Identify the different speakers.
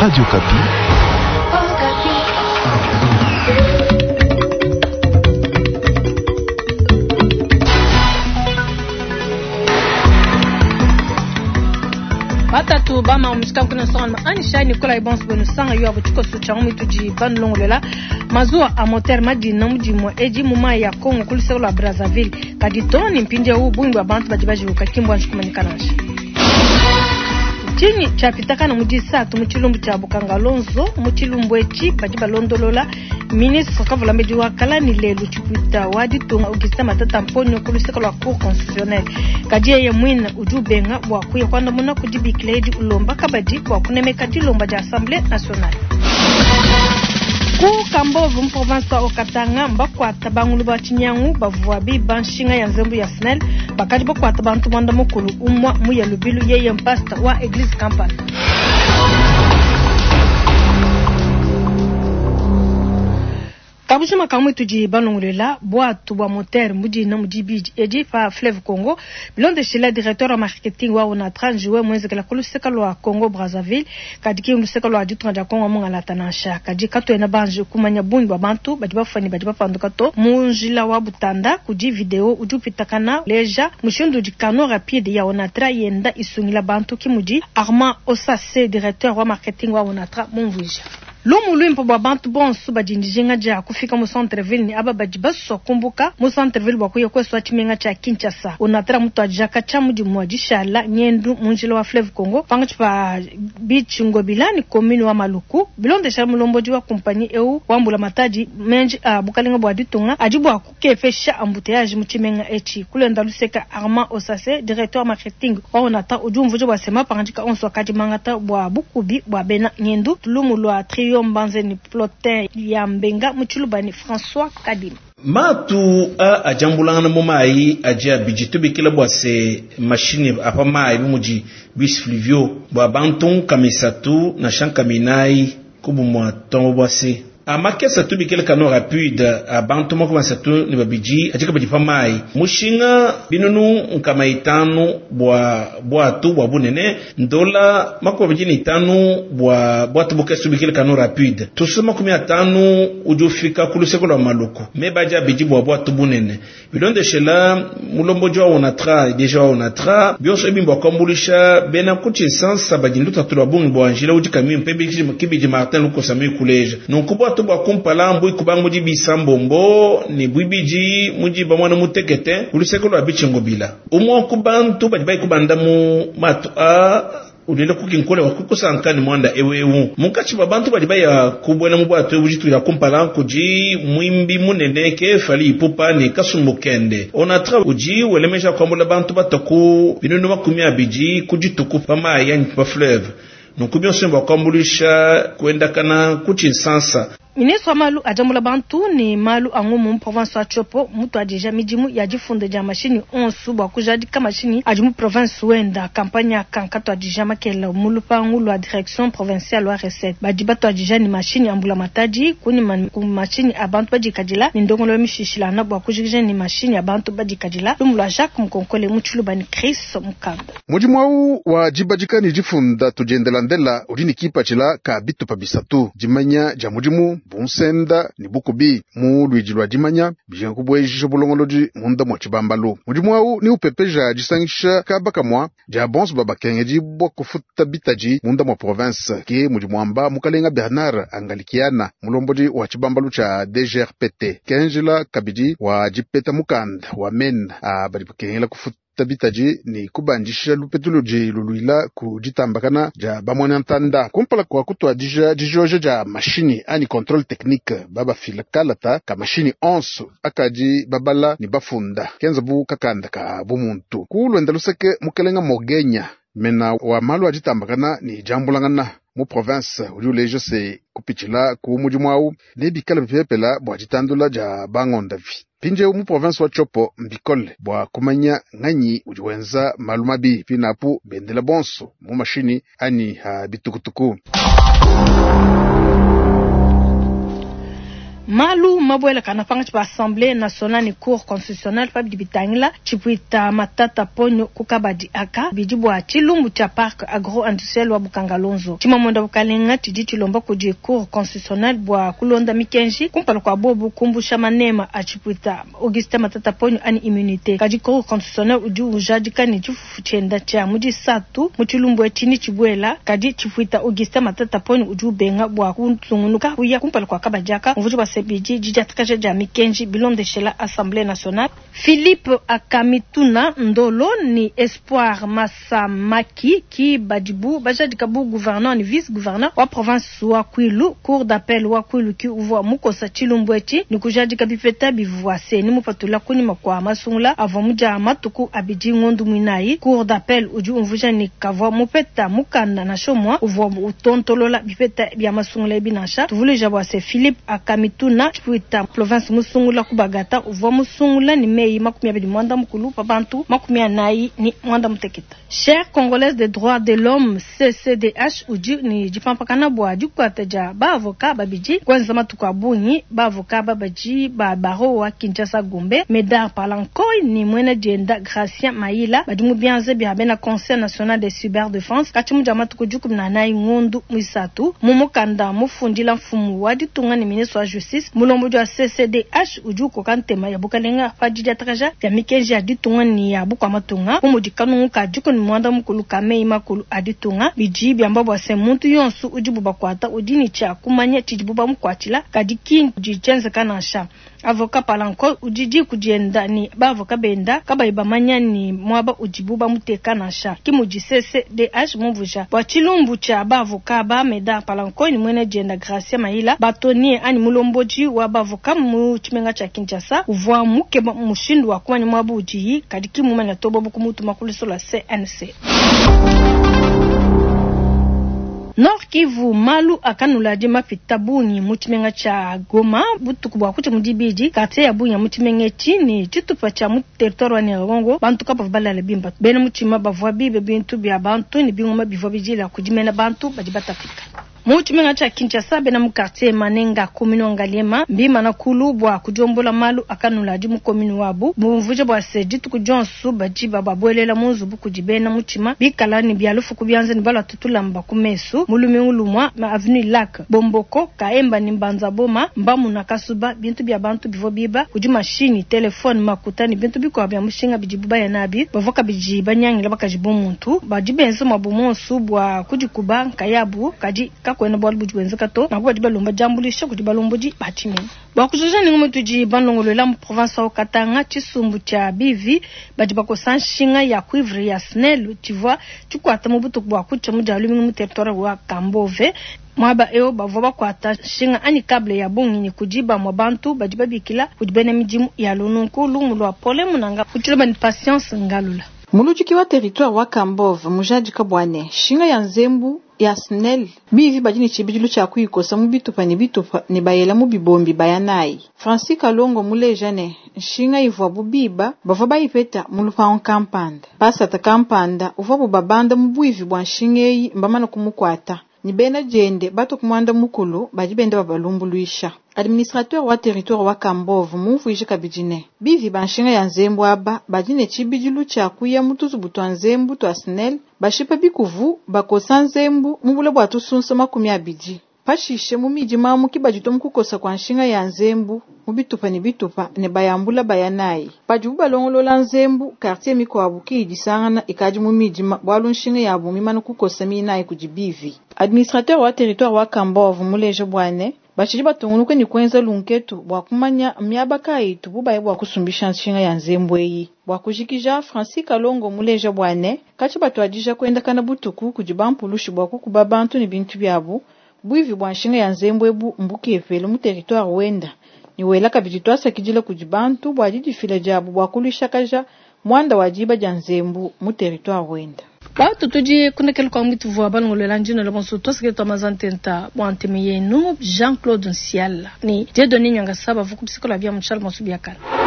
Speaker 1: Radio Okapi.
Speaker 2: Batatu bama mushika kuna sanga anisha Nicolas Ebons bonu sanga yo abo tshikoso tsha mu tudi banulongolela mazuwa a moteur madina mudimu edi mu mai ya Congo ku luseke lua Brazzaville kadi to ni mpindieu bungi bua bantu badi bajiwuka ki mbuanji kumanyika nansha. Ntshinyi tshiapitakana mu disatu mu tshilumbu tshia Bukanga Lonzo? Mu tshilumbu etshi badi balondolola ministre kavulambedi wa kala ne lelu tshipuita wa ditunga Augustin Matata Mponyo ku luseke lua Cour constitutionnelle. Kadi yeye muine udi ubenga bua kuya kuandamuna ku dibikila edi, ulomba kabadi bua kunemeka dilomba dia Assemblee nationale. Ku Kambove mu province wa Haut-Katanga mbakuata bangulu ba tshinyangu bavua biba nshinga ya nzembu ya SNEL. Bakadi bakuata bantu muanda mukulu, umua muya lubilu yeye mpasta wa eglise kampanda. Kabujima kamue tudi balongolola buatu bua moteur mu dina mu dibidi edi pa fleuve Congo bilondeshila directeur wa marketing wa Onatra njiwe muenzekela ku luseke lua Congo Brazzaville kadi ki luseke lua ditunga dia Congo mungalata nansha. Kadi katuena banji kumanya bungi bua bantu badi bafua ne badi bapanduka to. Mu njila wa Butanda kudi video udi upitakana uleja mushindu udi canot rapide ya Onatra yenda isungila bantu, ki mudi Armand Osase directeur wa marketing wa Onatra mumvuija. Lumu luimpe bua bantu bonso badi ne dijinga dia kufika mu centre-ville ne aba badi basua kumbuka mu centre-ville bua kuya kuesua tshimenga tshia Kinshasa. Onatra mutuadija katshia mu dimue dishala ngendu mu njila wa fleuve Congo pankatshi pa Beach Ngobila ne commune wa Maluku. Bilondeshela mulombodi wa kumpanyi eu wa mbulamatadi, menji a bukalenga bua ditunga adi bua kukepesha embouteillage mu tshimenga etshi. Kulenda luseka Armand Osase, directeur marketing wa Onatra udi umvuija bua se mapangadika onso akadi mangata bua bukubi bua bena ngendu. Lumu lua trio Mbanze ne Plotin ya Mbenga mu Tshiluba ne François Kadima.
Speaker 3: Matu a adi ambulangana mu mayi adi abidi tubikila bua se mashinyi a pa mayi bu mudi bus fluvio bua bantu nkama isatu nansha nkama inayi ku bumua tongo bua se a makese tubikila canot rapide a bantu 32 adi kabidi pa mayi mushinga binunu 500 bua bwatu bua bunene ndola 25 bua bwatu bukese tubikila canot rapide tusu 50 udi ufika ku luseke lua Maluku meba adi abidi bua bwatu bunene bilondeshela mulombodi wa Onatra deja wa Onatra bionso ebi mbua kuambuluisha bena ku tshinsansa badi lutatu lua bungi bua njila udi kamimpe kibidi Martin Lukosa mikuleja nunku bwatu bua kumpala mbui kubanga mudi bisambombo ne buibidi mudi bamwana mutekete ku luseke lua Bitshingobila umwe ku bantu badi bayi kubanda mu matu a ulele kukinkole wa kukusanka ni mwanda ewewu munkatshi ba bantu badi baya kubwela mu bwatu ebu ditu ya kumpala kudi mwimbi munene ke Fally Ipupa ne kasumbu kende Onatra udi welemesha kuambula bantu bataku binunu 20 ku dituku pa mayi anyi pa fleuve nunku bionso bua kuambuluisha kuendakana ku tshinsansa.
Speaker 2: Ministre wa malu a diambula bantu ne malu a ngumu mu province wa Tshopo mutuadija midimu ya difunda dia mashinyi onso bua kujadika mashinyi adi mu province wenda. Kampanya aka nkatuadija makela mu lupangu lua direction provinciale wa recette. Badi batuadija ne mashinyi a mbulamatadi kunyima ku mashinyi a bantu badikadila ne ndongoluelu mishishilangana bua kujikija ne mashinyi a bantu badikadila. Lumu lua Jacques Mukonkole mu Tshiluba ne Chris Mukanda.
Speaker 4: Mudimu au wa dibadika ne difunda tudiendelandela udi ne kipatshila ka bitupa bisatu dimanya dia mudimu bunsenda ne bukubi mu luidi lua dimanya bijinga kubuejisha bulongolodi munda mua tshibambalu. Mudimu au ni upepeja disangisha kaba kamua dia bonso babakengedi bua kufuta bitadi munda mua province ke mudi muamba mukalenga Bernard Angalikiana mulombodi wa tshibambalu tshia DGRPT kenjila kabidi wa dipeta mukanda wa mena a badi bakengela kufuta bitadi ne kubandisha lupetu ludi luluila ku ditambakana dia bamwanantanda kumpala kwa kutuadija dijoja dia mashinyi anyi contrôle technique babafila kalata ka mashinyi onso akadi babala ne bafunda kenza bu kakanda ka bumuntu ku lwenda luseke mukelenga Mogenya mena wa malu a ditambakana ne diambulangana mu province udi uleja se kupitshila ku mudimu au ne bikala bipepela bua ditandula dia bangondavi mpindieu mu province wa Tshopo mbikole bua kumanya nganyi udi wenza malu mabi pinapu bendela bonso mu mashinyi anyi ha bitukutuku.
Speaker 2: Malu mabuelakana pankatshi pa Assemblee nationale ne Cour constitutionnelle pa bidi bitangila tshipuita Matata Ponyo ku kabadi aka bidi bua tshilumbu tshia Parc agro-industriel wa Bukanga-Lonzo. Tshimamuenda bukalenga tshidi tshilomba kudi Cour constitutionnelle bua kulonda mikenji kumpala kua bobu kumbusha manema a tshipuita Augustin Matata Ponyo anyi immunite. Kadi Cour constitutionnelle udi ujadika ne tshifufu tshienda tshia mu disatu mu tshilumbu etshi ne tshibuela, kadi tshipuita Augustin Matata Ponyo udi ubenga bua kutungunuka kuya kumpala kua kabadi aka umvuija bua se bidi didiatakaja dia mikenji bilondeshela Assemblee nationale. Philippe Akamituna Ndolo ne Espoir Masamaki ki badibu bajadika bu gouverneur ne vice-gouverneur wa province wa Kwilu. Cour d'appel wa Kwilu ki uvua mukosa tshilumbu etshi ne kujadika bipeta bivua Ceni mupatula kunyima kua masungula avua mudia matuku abidi ngondu muinayi. Cour d'appel udi umvuija ne kavua mupeta mukanda nansha umua uvua utontolola bipeta bia masungula ebi nansha. Tuvuluija bua se Philippe Akamituna Tshipuita province musungula ku Bagata uvua musungula ne meyi 24 pa bantu 45. Chaire Congolaise des droits de l'homme, CCDH, udi ne dipampakana bua dikuata dia ba avocat babidi kuenza matuku a bungi. Ba avocat aba badi ba barreau wa Kinshasa Gombe, Medard Palankoy ne muena dienda Gracien Mayila badi mu bianza bia bena Conseil national de cyberdefense katshia mu dia matuku 14 ngondu muisatu. Mu mukanda mufundila mfumu wa ditunga ne ministre wa justice, mulombodi wa CCDH udi ukoka ntema ya bukalenga pa didiatakaja dia mikenji ya ditunga ne ya bukua matunga bu mudi kanungu ka 15 ka meyi makulu a ditunga. Bidi biamba bua se muntu yonsu udibu bakuata udi ne tshia kumanya tshidibu bamukuatshila, kadi ki tshidi tshienzeka nansha. Avocat Palanko udi diku dienda ne ba avocat benda kabayi bamanya ne muaba udibu bamuteka nansha. Ke mudi CCDH mumvuija bua tshilumbu tshia ba avocat ba Medard Palanko ne muena dienda Gracia Mayila, batonnier anyi mulombodi wa ba avocat mu tshimenga tshia Kinshasa uvua mukeba mushindu wa kumanya muaba udiyi kadi ki mumanya to bobu kumutuma ku luso lua CNC. Nord Kivu, malu akanula adi mapita bungi mu tshimenga tshia Goma butuku bua kutshia mu dibidi. Quartier ya bungi ya mu tshimenga etshi ne tshitupa tshia mu territoire wa Nyiragongo, bantu kabavua balale bimpe. Bena mutshima bavua bibe bintu bia bantu ne bingoma bivua bidila kudi mena bantu badi batapika. Mu tshimenga tshia Kinshasa, bena mu quartier Manenga, commune wa Ngaliema, mbimana kulu bua kudiombola malu akanula adi mu commune wabu. Bumvuija bua se dituku dionso badi bababuelela mu nzubu kudi bena mutshima bikala ne bia lufu ku bianza ne baluata tulamba ku mesu. Mu lumingu lumua, ma avenue Lac, Bomboko, Kaemba ne Mbanza Boma mbamuna kasuba bintu bia bantu bivua biba kudi mashinyi, telefone, makuta ne bintu bikuabu bia mushinga bidibu baya nabi. Bavua kabidi banyangila bakaji bumuntu. Badi benza muabu muonso bua kudikuba nkayabu, kadi kakuena bualu budi buenzeka to. Nanku badi balomba diambuluisha kudi balombodi ba tshimenga. Bua kujuja ne ngumu tudi balongoluela mu province wa Katanga, tshisumbu tshia bivi badi bakosa nshinga ya cuivre ya SNEL tshivua tshikuata mu butuku bua kutshia mu dia lumingu mu territoire wa Kambove. Muaba eu bavua bakuata nshinga anyi cable ya bungi ne kudi bamue bantu badi babikila kudi bena midimu ya lununku. Lumu lua Paulin Munanga mu tshiloba ne Patience Ngalula.
Speaker 1: Muludiki wa territoire wa Kambove mujadika bua ne nshinga ya nzembu ya SNEL bivi badi ne tshibidilu tshia kuyikosa mu bitupa ne bitupa ne bayela mu bibombi baya nayi. Francis Kalongo muleja ne nshinga ivuabu biba bavua bayipeta mu lupangu kampanda. Pasata kampanda uvuabu babanda mu buivi bua nshinga eyi mbamana kumukuata ne bena diende batu ku muanda mukulu badi benda babalumbuluisha. Administrateur wa territoire wa Kambove mumvuije kabidi ne bivi ba nshinga ya nzembu aba badi ne tshibidilu tshia kuya mu tuzubu tua nzembu tua SNEL bashipa bikuvu bakosa nzembu mu bule bua tusunsa 20. Pashishe mu midima mu kibadi mu kukosa kwa nshinga ya nzembu mu bitupa ne bitupa ne bayambula baya nayi. Padibu balongolola nzembu quartier mikuabu ki idisangana ikadi mu midima bualu nshinga yabu mimana kukosa minayi kudi bivi. Administrateur wa territoire wa Kambove muleje bua ne bashidi batungunuka ne kuenza lunketu bua kumanya miaba kayi itubu baya bua kusumbisha nshinga ya nzembu eyi. Bua kujikija Francis Kalongo muleja bua ne katshi batuadija kuendakana butuku kudi bampulushi bua kukuba bantu ne bintu biabu. Buivi bua nshinga ya nzembu ebu mbukepele mu territoire wenda ne wela kabidi tuasakidila kudi bantu bua didifila diabu bua kuluishakaja muanda wa diba dia nzembu mu territoire wenda.
Speaker 2: Batu tudi kunekela kwa mwitu vua balongolola njino la bonso twasakile twa mazantenta bua nteme yenu Jean-Claude Nsiala ni Dieudonné Nyangasaba vuku bisikola bia mutshala bonso biakala.